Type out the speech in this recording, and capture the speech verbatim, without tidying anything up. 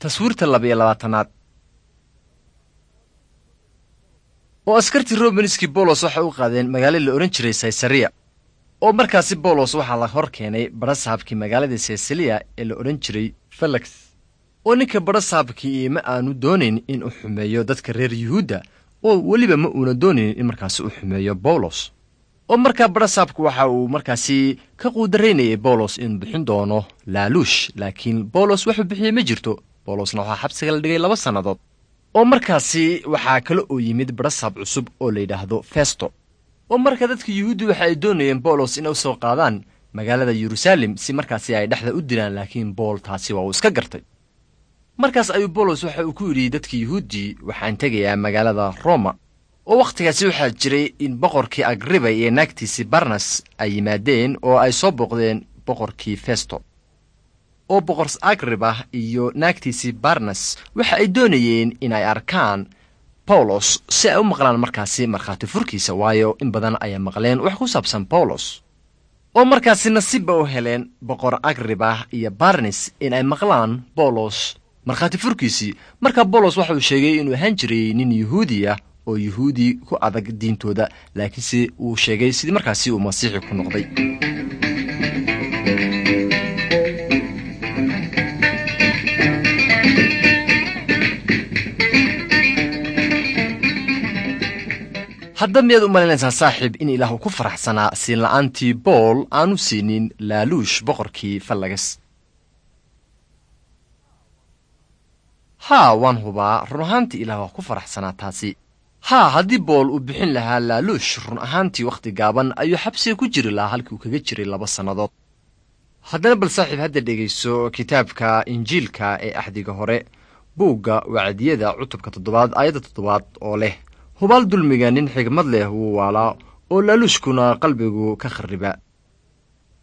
Taswiirta laba iyo labaatanaad. Oo askartii Romanskii Boolos waxay u qaadeen magaalo la odhan jiray Saysareya, oo markaasi Boolos waxaa la hor keenay badhasaabkii magaaladii Saysaliya ee la odhan jiray Felex. Oo ninka badhasaabkii ma aanu doonayn in uu xumeeyo dadka reer Yuhuudda, oo weliba ma uuna doonayn in markaasi u xumeeyo Bawlos. Oo markaa badhasaabku waxa uu markaasi ka quudaraynayay Bawlos inuu bixin doono laaluush, laakiin Bawlos waxuu bixiyey ma jirto. Bawlosna waxaa xabsiga la dhigay laba sannadood. Oo markaasi waxaa kale oo yimid badhasaab cusub oo la yidhaahdo Festo. Oo marka dadka Yuhuuddi waxa ay doonayeen Bawlos inay u soo qaadaan magaalada Yeruusaalem si markaasi ay dhexda u dilaan, laakiin Bool taasi waa uu iska gartay. Markaas ayuu Bawlos waxa uu ku yidhi dadka Yuhuuddi: "Waxaan tegayaa magaalada Roma." Oo wakhtigaasi waxaa jiray in boqorkii Agriba iyo naagtiisii Barnas ay yimaadeen oo ay soo booqdeen boqorkii Festo. Oo boqor Agriba iyo naagtiisii Barnas waxa ay doonayeen in ay arkaan Bawlos si ay u maqlaan markaasi markhaati furkiisa, waayo in badan ayaa maqleen wax ku saabsan Bawlos. Oo markaasi nasiibba u heleen boqor Agriba iyo Barnes in ay maqlaan Bawlos markhaati furkiisii. Markaa Bawlos waxa uu sheegay inuu ahaan jiray nin Yuhuudi ah oo Yuhuudi ku adag diintooda, laakiinse uu sheegay sidii markaasi uu Masiixi ku noqday. Hadda miyaad u malaynaysaa, saaxiib, in Ilaah uu ku faraxsanaa siinla'aantii Bool aanu siinin laaluush boqorkii Fallagas? Haa, waan hubaa, run ahaantii Ilaah waa ku faraxsanaa taasi. Haa, haddii Bool uu bixin lahaa laaluush, run ahaantii wakhti gaaban ayuu xabsiga ku jiri lahaa halkii uu kaga jiray laba sannadood. Haddana bal saaxiib hadda dhegayso kitaabka Injiilka ee Axdiga Hore, buugga Wacdiyada, cutubka toddobaad, aayadda toddobaad, oo leh: "Hubaal dulmiga nin xigmad leh wuu waalaa, oo laaluushkuna qalbigu ka kharriba."